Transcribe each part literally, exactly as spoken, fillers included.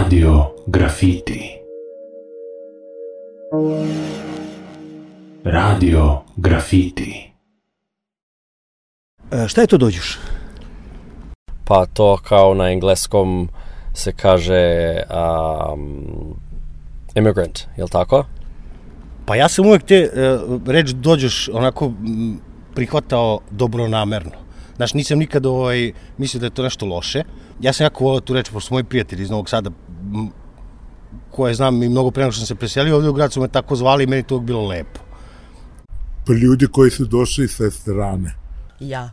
Radio Grafiti. Radio Grafiti. E, šta je to dođeš? Pa to kao na engleskom se kaže um, immigrant, je li tako? Pa ja sam uvek te uh, reč dođeš onako m, prihvatao dobronamerno. Znaš, nisam nikad ovaj, mislio da je to nešto loše. Ja sam jako volao tu reč, pošto su moji prijatelji iz Novog Sada, m, koje znam i mnogo pre nego što sam se preselio ovdje u grad, su me tako zvali i meni to bilo lepo. Pa ljudi koji su došli sa strane. Ja.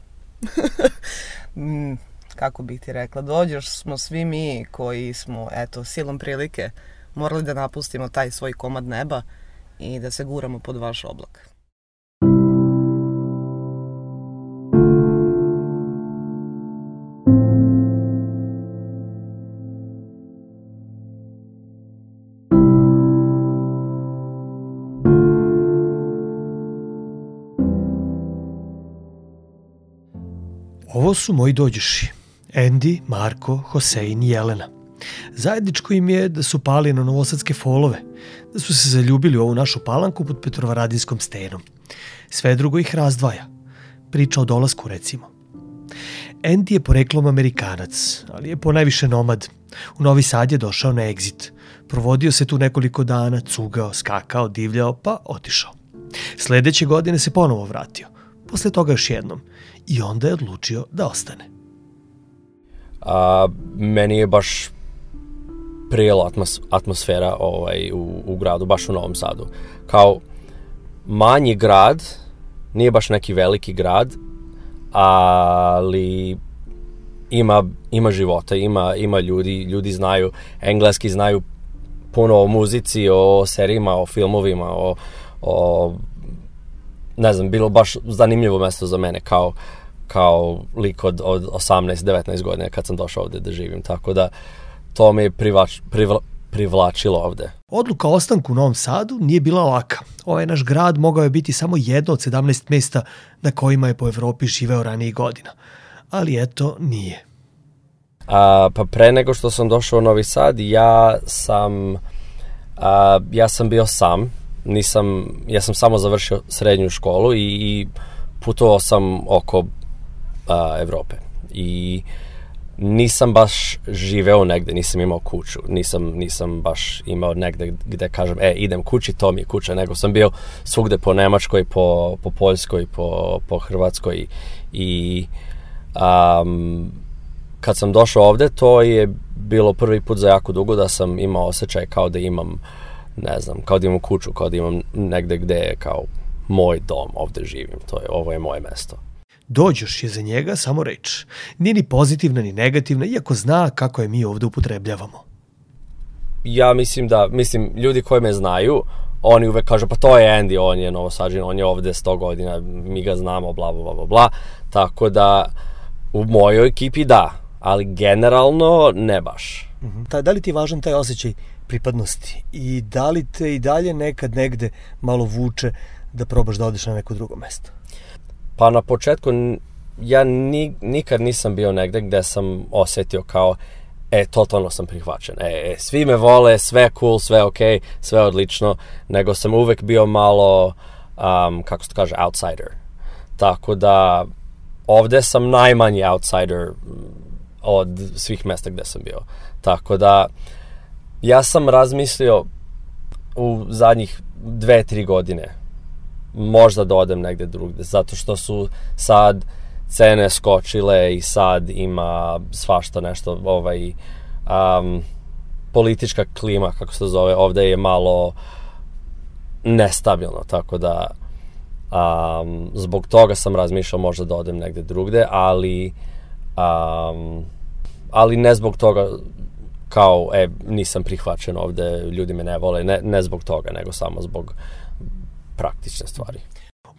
mm, kako bih ti rekla, dođeš smo svi mi koji smo, eto, silom prilike morali da napustimo taj svoj komad neba i da se guramo pod vaš oblak. Ovo su moji dođuši, Andy, Marko, Hosein i Jelena. Zajedničko im je da su pali na novosadske folove, da su se zaljubili u ovu našu palanku pod Petrovaradinskom stenom. Sve drugo ih razdvaja. Priča o dolasku, recimo. Andy je poreklom Amerikanac, ali je ponajviše nomad. U Novi Sad je došao na egzit. Provodio se tu nekoliko dana, cugao, skakao, divljao, pa otišao. Sledeće godine se ponovo vratio. Posle toga još jednom. I onda je odlučio da ostane. A, meni je baš prijela atmos, atmosfera ovaj, u, u gradu, baš u Novom Sadu. Kao manji grad, nije baš neki veliki grad, ali ima, ima života, ima, ima ljudi, ljudi znaju engleski, znaju puno o muzici, o serijima, o filmovima, o, o ne znam, bilo baš zanimljivo mesto za mene kao, kao lik od, od osamnaest devetnaest godina kad sam došao ovde da živim, tako da to me je privlač, privla, privlačilo ovde. Odluka o ostanku u Novom Sadu nije bila laka. Ovaj naš grad mogao je biti samo jedno od sedamnaest mesta na kojima je po Evropi živeo ranijih godina. Ali eto, nije. A, pa pre nego što sam došao u Novi Sad, ja sam, a, ja sam bio sam. Nisam, ja sam samo završio srednju školu i, i putovao sam oko a, Evrope. I nisam baš živeo negde, nisam imao kuću, nisam, nisam baš imao negde gde kažem, e, idem kući, to mi je kuća, nego sam bio svugde po Nemačkoj, po, po Poljskoj, po, po Hrvatskoj i um, kad sam došao ovde, to je bilo prvi put za jako dugo da sam imao osjećaj kao da imam, ne znam, kao da imam kuću, kao da imam negde gde je kao moj dom, ovde živim, to je, ovo je moje mesto. Dođoš je za njega samo reč. Nije ni pozitivna ni negativna, iako zna kako je mi ovde upotrebljavamo. Ja mislim da, mislim, ljudi koji me znaju, oni uvek kažu, pa to je Andy, on je Novosađan, on je ovde sto godina, mi ga znamo, bla, bla, bla, bla, tako da u mojoj ekipi da, ali generalno ne baš. Uh-huh. Ta, da li ti je važan taj osjećaj pripadnosti i da li te i dalje nekad negde malo vuče da probaš da odeš na neko drugo mesto? Pa na početku ja ni, nikad nisam bio negde gde sam osetio kao e, totalno sam prihvaćen, e, e, svi me vole, sve cool, sve ok, sve odlično, nego sam uvek bio malo, um, kako se to kaže, outsider. Tako da ovde sam najmanji outsider od svih mesta gde sam bio. Tako da ja sam razmislio u zadnjih dve, tri godine možda da odem negde drugde, zato što su sad cene skočile i sad ima svašta nešto, ovaj, um, politička klima, kako se zove, ovde je malo nestabilno, tako da um, zbog toga sam razmišljao možda da odem negde drugde, ali um, ali ne zbog toga kao, e, nisam prihvaćen ovde, ljudi me ne vole, ne, ne zbog toga, nego samo zbog praktične stvari.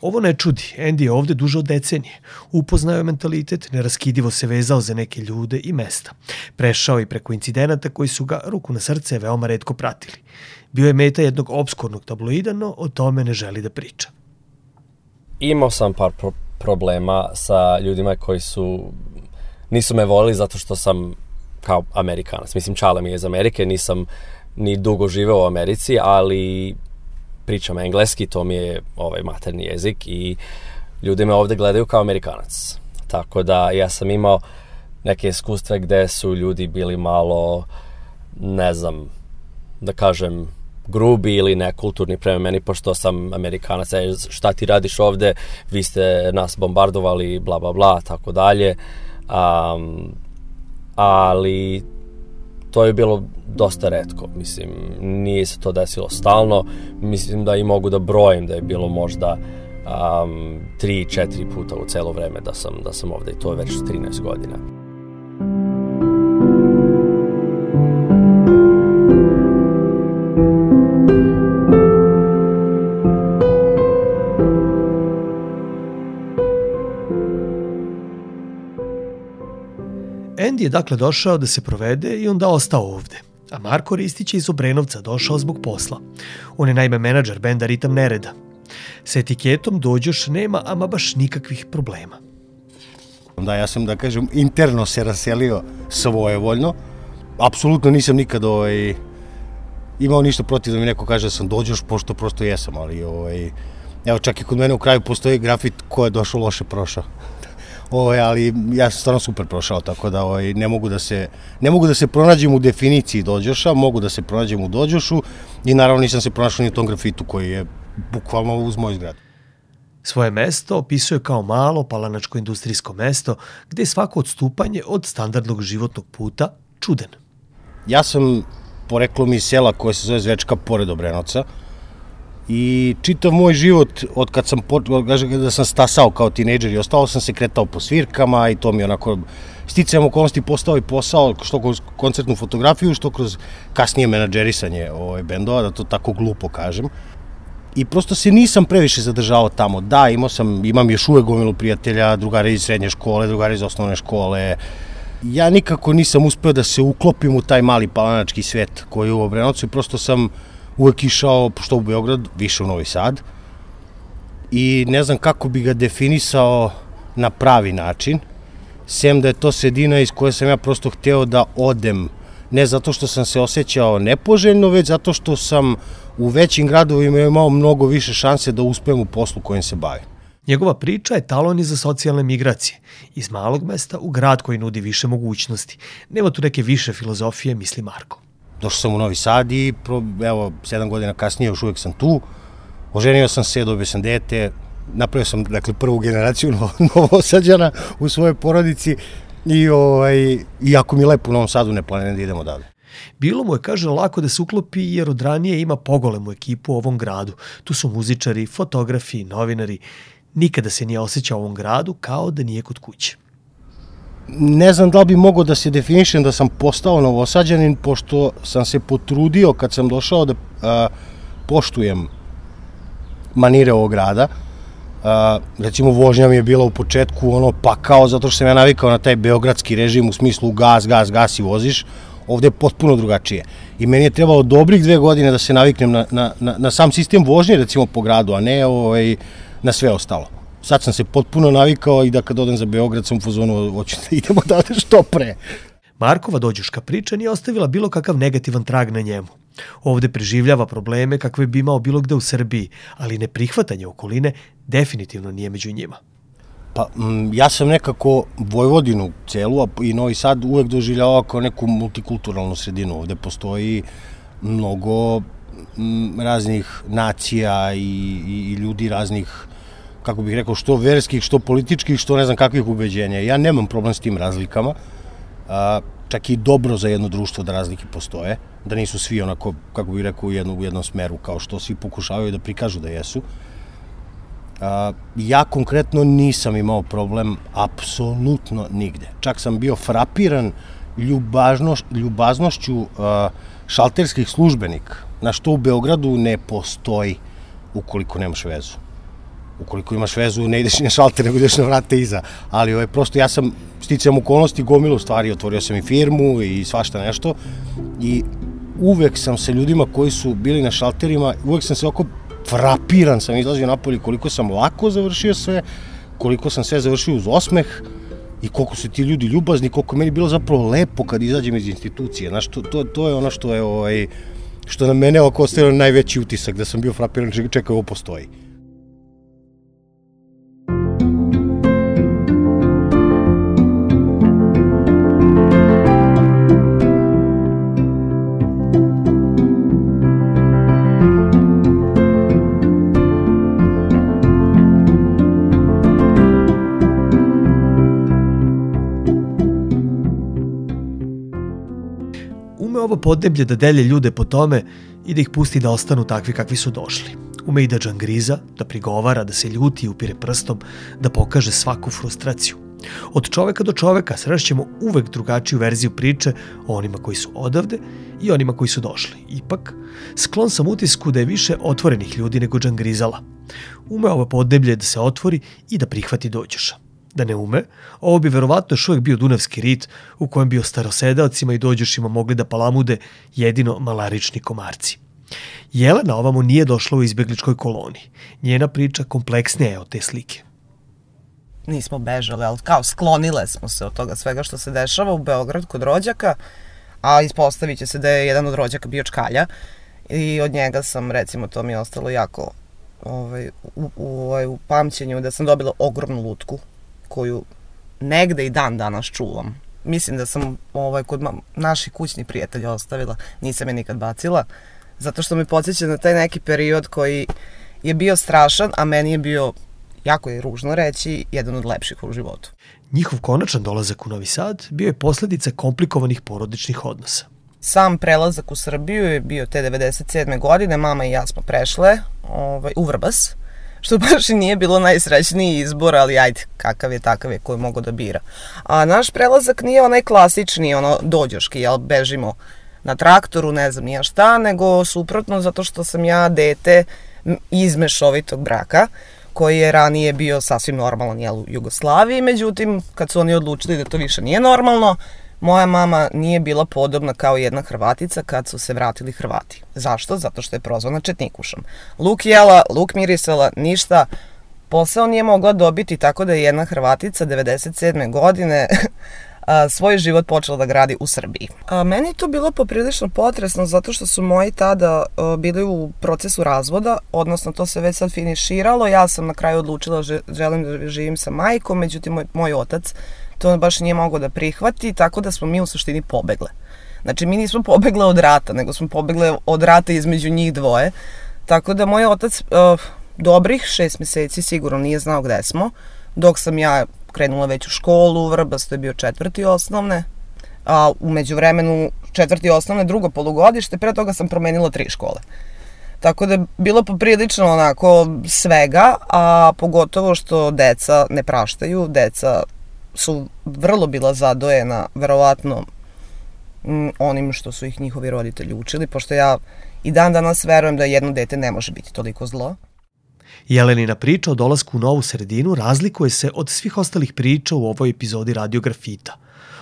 Ovo ne čudi, Andy je ovde duže od decenije. Upoznao je mentalitet, neraskidivo se vezao za neke ljude i mesta. Prešao i preko incidenata koji su ga, ruku na srce, veoma retko pratili. Bio je meta jednog obskurnog tabloida, no o tome ne želi da priča. Imao sam par pro- problema sa ljudima koji su nisu me volili zato što sam kao Amerikanac. Mislim, čale mi je iz Amerike, nisam ni dugo živeo u Americi, ali pričam engleski, to mi je ovaj materni jezik i ljudi me ovde gledaju kao Amerikanac. Tako da ja sam imao neke iskustve gde su ljudi bili malo, ne znam, da kažem, grubi ili nekulturni prema meni, pošto sam Amerikanac, e, šta ti radiš ovde, vi ste nas bombardovali, bla, bla, bla, tako dalje. Um, ali to je bilo dosta retko, mislim, nije se to desilo stalno, mislim da i mogu da brojim da je bilo možda um, tri, četiri puta u celo vreme da sam, da sam ovde i to je već trinaest godina. Andy je dakle došao da se provede i onda ostao ovde. A Marko Ristić je iz Obrenovca došao zbog posla. On je naime menadžer benda Ritam Nereda. Sa etiketom Dođoš nema ama baš nikakvih problema. Da, ja sam, da kažem, interno se raselio svojevoljno. Apsolutno nisam nikad ovaj, imao ništa protiv da mi neko kaže da sam Dođoš, pošto prosto jesam, ali ovaj, evo čak i kod mene u kraju postoji grafit ko je došao loše prošao. Ovo, ali ja sam stvarno super prošao, tako da ovaj, ne mogu da se ne mogu da se pronađem u definiciji Dođoša, mogu da se pronađem u Dođošu i naravno nisam se pronašao ni u tom grafitu koji je bukvalno uz moj zgrad. Svoje mesto opisuje kao malo palanačko industrijsko mesto gde je svako odstupanje od standardnog životnog puta čuden. Ja sam poreklom iz sela koje se zove Zvečka pored Obrenovca. I čitav moj život, od kad sam, da sam stasao kao tinejdžer i ostalo sam se kretao po svirkama i to mi je onako sticajem okolnosti postao i posao, što kroz koncertnu fotografiju, što kroz kasnije menadžerisanje ovaj, bendova, da to tako glupo kažem. I prosto se nisam previše zadržavao tamo. Da, imao sam, imam još uvek gomilu prijatelja, drugari iz srednje škole, drugari iz osnovne škole. Ja nikako nisam uspeo da se uklopim u taj mali palanački svet koji je u Obrenovcu i prosto sam uvek išao, što u Beograd, više u Novi Sad. I ne znam kako bi ga definisao na pravi način, sem da je to sredina iz koje sam ja prosto hteo da odem. Ne zato što sam se osjećao nepoželjno, već zato što sam u većim gradovima imao mnogo više šanse da uspem u poslu kojim se bavim. Njegova priča je talon i za socijalne migracije. Iz malog mesta u grad koji nudi više mogućnosti. Nema tu neke više filozofije, misli Marko. Došao sam u Novi Sad i evo, sedam godina kasnije još uvek sam tu. Oženio sam se, dobio sam dete, napravio sam dakle, prvu generaciju Novosađana u svojoj porodici i ovaj, iako mi je lepo u Novom Sadu, ne planiram da idemo dalje. Bilo mu je, kaže, lako da se uklopi jer od ranije ima pogolemu ekipu u ovom gradu. Tu su muzičari, fotografi, novinari. Nikada se nije osjećao u ovom gradu kao da nije kod kuće. Ne znam da li bi mogao da se definišem da sam postao Novosađanin, pošto sam se potrudio kad sam došao da a, poštujem manire ovog grada. A, recimo, vožnja mi je bila u početku ono pakao, zato što sam ja navikao na taj beogradski režim u smislu gas, gas, gas i voziš. Ovde je potpuno drugačije. I meni je trebalo dobrih dve godine da se naviknem na, na, na, na sam sistem vožnje, recimo po gradu, a ne ovaj, na sve ostalo. Sad sam se potpuno navikao i da kad odem za Beograd sam u fazonu, hoću da idemo da što pre. Markova dođoška priča nije ostavila bilo kakav negativan trag na njemu. Ovde preživljava probleme kakve bi imao bilo gde u Srbiji, ali neprihvatanje okoline definitivno nije među njima. Pa, m, ja sam nekako Vojvodinu celu, a i Novi Sad uvek doživljavao kao neku multikulturalnu sredinu. Ovde postoji mnogo m, raznih nacija i, i, i ljudi raznih, kako bih rekao, što verskih, što političkih, što ne znam kakvih ubeđenja. Ja nemam problem s tim razlikama, a, čak i dobro za jedno društvo da razlike postoje, da nisu svi onako, kako bih rekao, u, jedno, u jednom smeru, kao što svi pokušavaju da prikažu da jesu. A, ja konkretno nisam imao problem apsolutno nigde. Čak sam bio frapiran ljubaznoš, ljubaznošću a, šalterskih službenika, na što u Beogradu ne postoji ukoliko nemaš vezu. Ukoliko imaš vezu, ne ideš na šalter, nego ideš na vrate iza. Ali ovaj, prosto ja sam sticajem okolnosti gomilu stvari, otvorio sam i firmu i svašta nešto. I uvek sam se ljudima koji su bili na šalterima, uvek sam se oko frapiran sam izlazio napolje koliko sam lako završio sve, koliko sam sve završio uz osmeh i koliko su ti ljudi ljubazni, koliko je meni bilo zapravo lepo kad izađem iz institucije. Znaš, to, to, to je ono što je, ovaj, što na mene oko ostavilo najveći utisak, da sam bio frapiran, čekaj, ovo postoji. Ovo podneblje da delje ljude po tome i da ih pusti da ostanu takvi kakvi su došli. Ume i da džangriza, da prigovara, da se ljuti i upire prstom, da pokaže svaku frustraciju. Od čoveka do čoveka srešćemo uvek drugačiju verziju priče o onima koji su odavde i onima koji su došli. Ipak, sklon sam utisku da je više otvorenih ljudi nego džangrizala. Ume ovo podneblje da se otvori i da prihvati dođoša. Da ne ume, ovo bi verovatno još uvijek bio dunavski rit u kojem bi o starosedaocima i dođošima mogli da palamude jedino malarični komarci. Jelena ovamo nije došla u izbjegličkoj koloniji. Njena priča kompleksnija je od te slike. Nismo bežali, ali kao sklonile smo se od toga svega što se dešava u Beograd kod rođaka, a ispostavit će se da je jedan od rođaka bio čkalja i od njega sam, recimo, to mi je ostalo jako ovaj, u, u, u pamćenju, da sam dobila ogromnu lutku koju negde i dan danas čuvam. Mislim da sam ovaj, kod naših kućnih prijatelja ostavila, nisam je nikad bacila, zato što me podsjeća na taj neki period koji je bio strašan, a meni je bio, jako je ružno reći, jedan od lepših u životu. Njihov konačan dolazak u Novi Sad bio je posljedica komplikovanih porodičnih odnosa. Sam prelazak u Srbiju je bio te devedeset sedme godine, mama i ja smo prešle ovaj, u Vrbas, što baš i nije bilo najsrećniji izbor, ali ajde, kakav je, takav je, koji mogu da bira. A naš prelazak nije onaj klasični, ono, dođoški, jel, bežimo na traktoru, ne znam nija šta, nego suprotno, zato što sam ja dete iz mešovitog braka, koji je ranije bio sasvim normalan, jel, u Jugoslaviji, međutim, kad su oni odlučili da to više nije normalno, moja mama nije bila podobna kao jedna Hrvatica kad su se vratili Hrvati. Zašto? Zato što je prozvana četnikušom. Luk jela, luk mirisala, ništa. Posao nije mogla dobiti, tako da je jedna Hrvatica devedeset sedme godine svoj život počela da gradi u Srbiji. A, meni je to bilo poprilično potresno zato što su moji tada a, bili u procesu razvoda, odnosno to se već sad finiširalo. Ja sam na kraju odlučila že, želim da živim sa majkom, međutim moj, moj otac to baš nije mogao da prihvati, tako da smo mi u suštini pobegle. Znači, mi nismo pobegle od rata, nego smo pobegle od rata između njih dvoje. Tako da moj otac uh, dobrih šest meseci sigurno nije znao gde smo, dok sam ja krenula već u školu, u Vrbas, to je bio četvrti osnovne, a u međuvremenu četvrti osnovne, drugo polugodište, pre toga sam promenila tri škole. Tako da je bilo poprilično onako svega, a pogotovo što deca ne praštaju, deca su vrlo bila zadojena, verovatno, onim što su ih njihovi roditelji učili, pošto ja i dan danas verujem da jedno dete ne može biti toliko zlo. Jelenina priča o dolasku u novu sredinu razlikuje se od svih ostalih priča u ovoj epizodi Radio Grafita.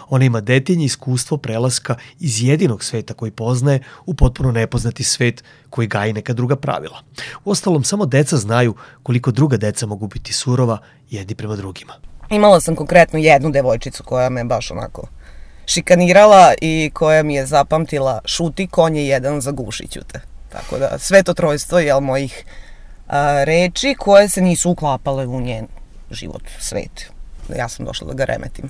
Ona ima detaljno iskustvo prelaska iz jedinog sveta koji poznaje u potpuno nepoznati svet koji gaji neka druga pravila. Uostalom, samo deca znaju koliko druga deca mogu biti surova jedni prema drugima. Imala sam konkretno jednu devojčicu koja me baš onako šikanirala i koja mi je zapamtila: šuti, konje jedan, zagušiću te. Tako da sve to trojstvo je mojih a, reči koje se nisu uklapale u njen život, svet. Ja sam došla da ga remetim.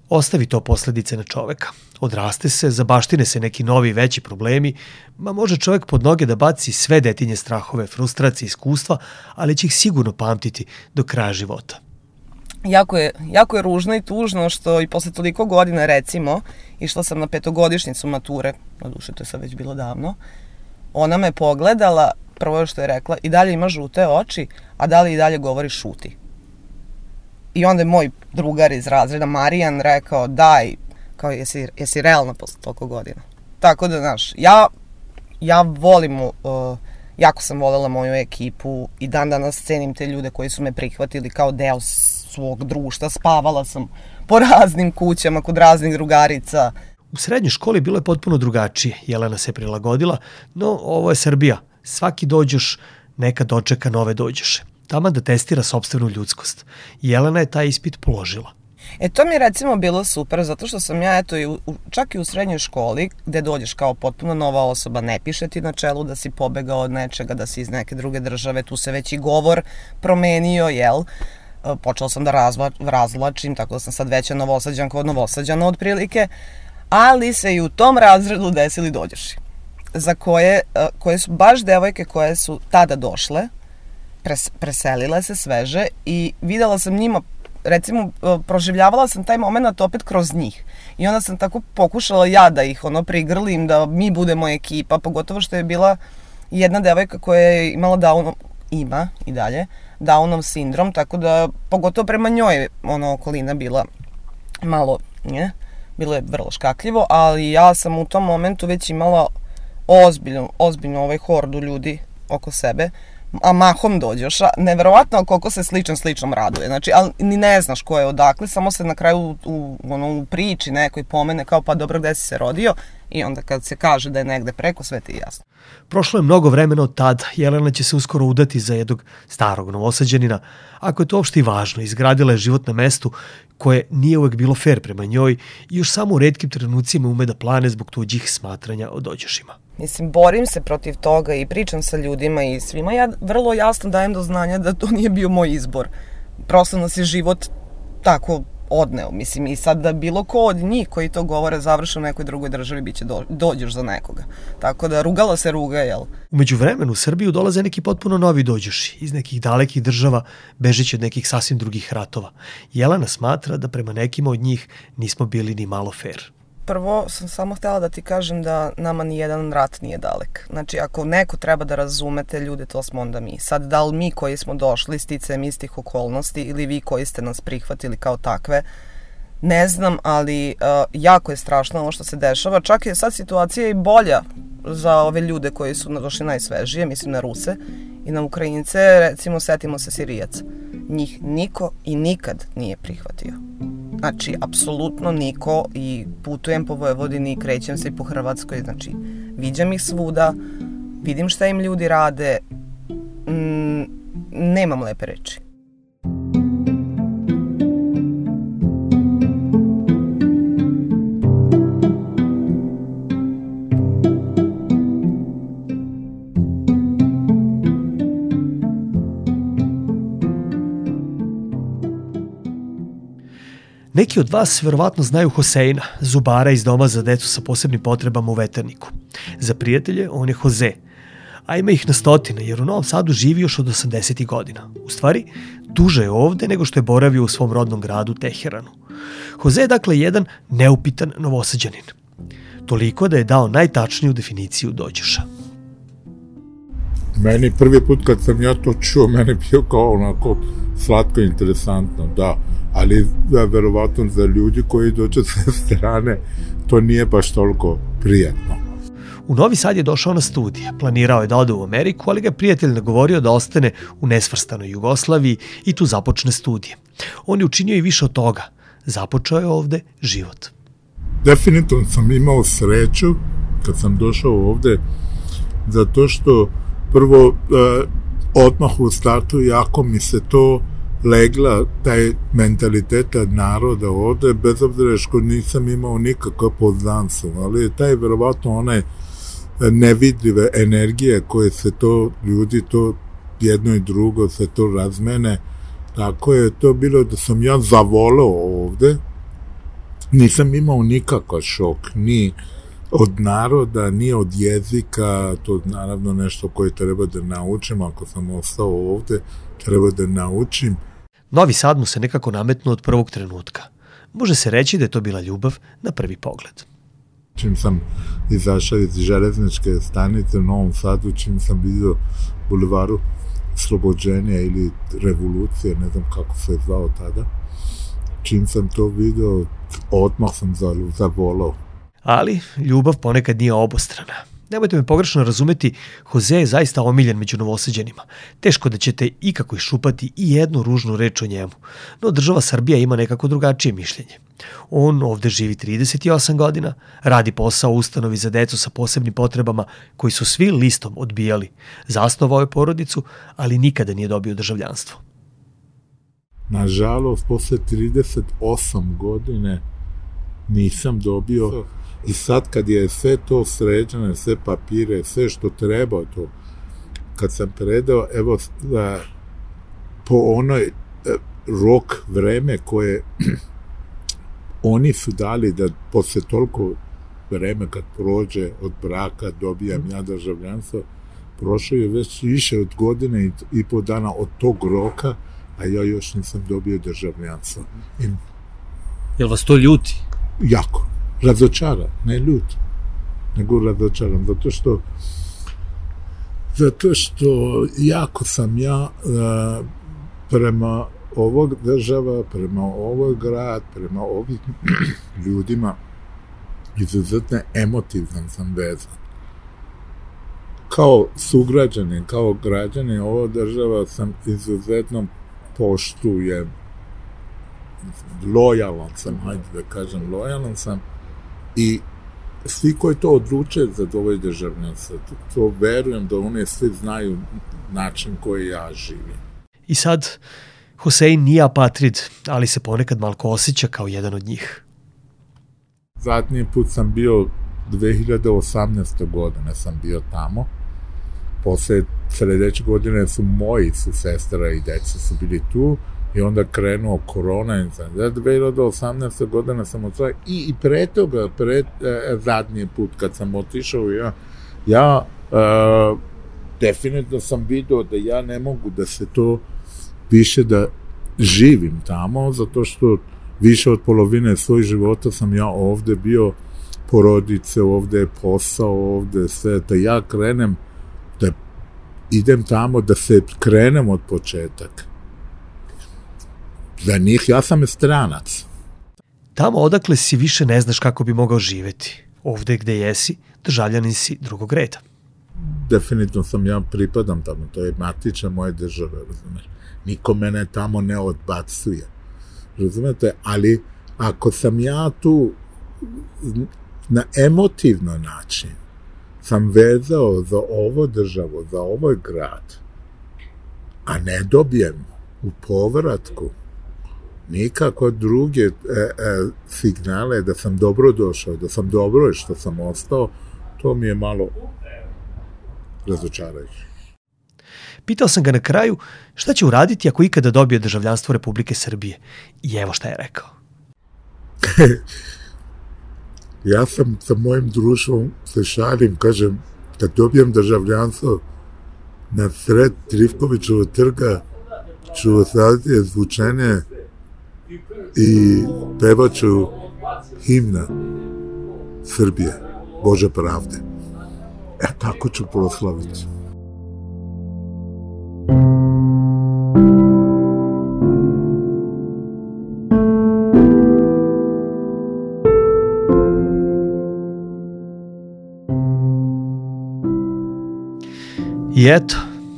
Ostavi to posledice na čoveka. Odraste se, zabaštine se neki novi veći problemi, ma može čovek pod noge da baci sve detinje strahove, frustracije, iskustva, ali će ih sigurno pamtiti do kraja života. Jako je, jako je ružno i tužno što i posle toliko godina, recimo, išla sam na petogodišnjicu mature, na duše to je sad već bilo davno, ona me pogledala, prvo što je rekla, i dalje ima žute oči, a da li i dalje govori šuti. I onda je moj drugar iz razreda, Marijan, rekao: daj, kao jesi, jesi realna posle toliko godina. Tako da, znaš, ja, ja volim, uh, jako sam voljela moju ekipu i dan danas cenim te ljude koji su me prihvatili kao deo svog društva. Spavala sam po raznim kućama, kod raznih drugarica. U srednjoj školi bilo je potpuno drugačije. Jelena se prilagodila, no ovo je Srbija. Svaki dođoš nekad dočeka nove dođoše. Taman da testira sopstvenu ljudskost. Jelena je taj ispit položila. E, to mi je recimo bilo super, zato što sam ja, eto, i u, čak i u srednjoj školi, gde dođeš kao potpuno nova osoba, ne piše ti na čelu da si pobegao od nečega, da si iz neke druge države, tu se već i govor promenio, jel? Počela sam da razvla, razvlačim, tako da sam sad veća Novosađanka od Novosađana otprilike, ali se i u tom razredu desili dođoši, za koje, koje su baš devojke koje su tada došle, pres, preselile se sveže i videla sam njima, recimo, proživljavala sam taj moment opet kroz njih. I onda sam tako pokušala ja da ih ono prigrlim, da mi budemo ekipa, pogotovo što je bila jedna devojka koja je imala Downov, ima i dalje, Downov sindrom, tako da pogotovo prema njoj ono okolina bila malo, nje, bilo je vrlo škakljivo, ali ja sam u tom momentu već imala ozbiljno, ozbiljno ovaj hordu ljudi oko sebe, a mahom dođoša, neverovatno koliko se sličan sličnom raduje, znači, ali ni ne znaš ko je odakle, samo se na kraju u, u, ono, u priči nekoj pomene kao pa dobro gde si se rodio i onda kad se kaže da je negde preko, sve ti je jasno. Prošlo je mnogo vremena od tada, Jelena će se uskoro udati za jednog starog Novosađanina, ako je to uopšte i važno, izgradila je život na mestu koje nije uvek bilo fair prema njoj i još samo u retkim trenucima ume da plane zbog tuđih smatranja o dođošima. Mislim, borim se protiv toga i pričam sa ljudima i svima ja vrlo jasno dajem do znanja da to nije bio moj izbor. Prosto nas je život tako odneo. Mislim, i sad da bilo ko od njih koji to govore završe u nekoj drugoj državi, bit će do, dođeš za nekoga. Tako da rugala se ruga, jel? Umeđu vremenu u Srbiju dolaze neki potpuno novi dođoši, iz nekih dalekih država, bežeći od nekih sasvim drugih ratova. Jelena smatra da prema nekima od njih nismo bili ni malo fair. Prvo sam samo htjela da ti kažem da nama ni jedan rat nije dalek. Znači, ako neko treba da razumete ljude, to smo onda mi. Sad, da li mi koji smo došli sticajem istih okolnosti ili vi koji ste nas prihvatili kao takve, ne znam, ali uh, jako je strašno ovo što se dešava. Čak je sad situacija i bolja za ove ljude koji su došli najsvežije, mislim na Ruse i na Ukrajince, recimo setimo se Sirijaca. Njih niko i nikad nije prihvatio. Znači, apsolutno niko i putujem po Vojvodini i krećem se i po Hrvatskoj, znači, viđam ih svuda, vidim šta im ljudi rade, mm, nemam lepe reči. Neki od vas verovatno znaju Hoseina, zubara iz doma za decu sa posebnim potrebama u Veterniku. Za prijatelje on je Hoze, a ima ih na stotine jer u Novom Sadu živi još od osamdesetih godina. U stvari, duže je ovde nego što je boravio u svom rodnom gradu Teheranu. Hoze je dakle jedan neupitan Novosađanin. Toliko da je dao najtačniju definiciju dođoša. Meni prvi put kad sam ja to čuo, meni bio kao onako slatko interesantno, da. Ali da, verovatno za ljudi koji dođe sa strane, to nije baš toliko prijatno. U Novi Sad je došao na studije. Planirao je da ode u Ameriku, ali ga je prijatelj nagovorio da ostane u nesvrstanoj Jugoslaviji i tu započne studije. On je učinio i više od toga. Započeo je ovde život. Definitivno sam imao sreću kad sam došao ovde, zato što prvo eh, odmah u startu jako mi se to legla, taj mentaliteta naroda ovde, bez obzira što nisam imao nikakav poznanstvo, ali je taj verovatno one nevidljive energije koje se to, ljudi to jedno i drugo se to razmene, tako je to bilo da sam ja zavoleo ovde, nisam imao nikakav šok, ni od naroda, ni od jezika, to naravno nešto koje treba da naučim, ako sam ostao ovde, treba da naučim. Novi Sad mu se nekako nametnuo od prvog trenutka. Može se reći da je to bila ljubav na prvi pogled. Čim sam izašao iz železničke stanice u Novom Sadu, čim sam vidio bulevaru Slobođenja ili Revolucije, ne znam kako se je zvao tada, čim sam to vidio, odmah sam zavolao. Ali ljubav ponekad nije obostrana. Nemojte me pogrešno razumeti, Hoze je zaista omiljen među Novosađanima. Teško da ćete ikako iščupati i jednu ružnu reč o njemu, no država Srbija ima nekako drugačije mišljenje. On ovde živi trideset osam godina, radi posao u ustanovi za decu sa posebnim potrebama koji su svi listom odbijali. Zasnovao je porodicu, ali nikada nije dobio državljanstvo. nažalost, posle trideset osam godine nisam dobio. I sad kad je sve to sređeno, sve papire, sve što treba to, kad sam predao, evo, da, po onoj rok vreme koje oni su dali da posle toliko vreme kad prođe od braka dobijam ja državljanstvo, prošlo je već više od godine i, i po dana od tog roka, a ja još nisam dobio državljanstvo. I, Jel vas to ljuti? jako. Razočaran, ne ljut, nego razočaran, zato što zato što jako sam ja uh, prema ovog država, prema ovoj grad, prema ovim ljudima izuzetno emotivan sam vezan. Kao sugrađanin, kao građanin ovo država sam izuzetno poštujem, lojalan sam, hajde da kažem, lojalan sam i svi koji to odluče za ovoj državljanstvo, to, to verujem da oni svi znaju način koji ja živim. I sad, Hosein nije apatrid, ali se ponekad malko osjeća kao jedan od njih. Zadnji put sam bio dve hiljade osamnaeste. godine sam bio tamo. Posle sledeće godine su moji su sestra i deca su bili tu i onda krenuo korona i za dve hiljade osamnaeste. godine sam otišao i, i pre toga, pre e, zadnji put kad sam otišao ja, ja e, definitivno sam vidio da ja ne mogu da se to više da živim tamo, zato što više od polovine svojeg života sam ja ovde bio, porodice ovde, posao ovde, sve, da ja krenem, da idem tamo, da se krenem od početak. Za njih ja sam stranac. Tamo odakle si više ne znaš kako bi mogao živeti. Ovde gde jesi, državljanin si drugog reda. Definitivno sam ja pripadam tamo, to je matična moje države, razumeš. Niko mene tamo ne odbacuje. Razumete? Ali ako sam ja tu na emotivno način sam vezao za ovo državo, za ovaj grad, a ne dobijem u povratku nikako druge e, e, signale da sam dobro došao, da sam dobro što sam ostao, to mi je malo razočarajuće. Pitao sam ga na kraju šta će uraditi ako ikada dobije državljanstvo Republike Srbije. I evo šta je rekao. Ja sam sa mojim društvom se šalim, kažem, kad dobijem državljanstvo na sred Trifkovićevog trga ću ostaviti zvučenje i pevaću himna Srbije, Bože pravde. E, tako ću proslaviti. I eto,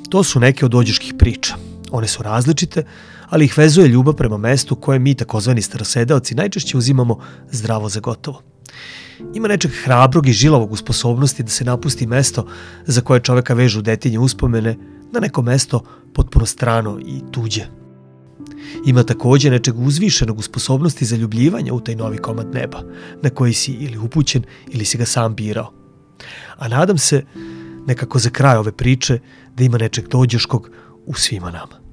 to su neke od dođeških priča. One su različite, ali ih vezuje ljubav prema mestu koje mi, takozvani starosedeoci, najčešće uzimamo zdravo za gotovo. Ima nečeg hrabrog i žilavog u sposobnosti da se napusti mesto za koje čoveka vežu detinje uspomene na neko mesto potpuno strano i tuđe. Ima takođe nečeg uzvišenog u sposobnosti zaljubljivanja u taj novi komad neba, na koji si ili upućen ili si ga sam birao. A nadam se, nekako za kraj ove priče, da ima nečeg dođeškog u svima nama.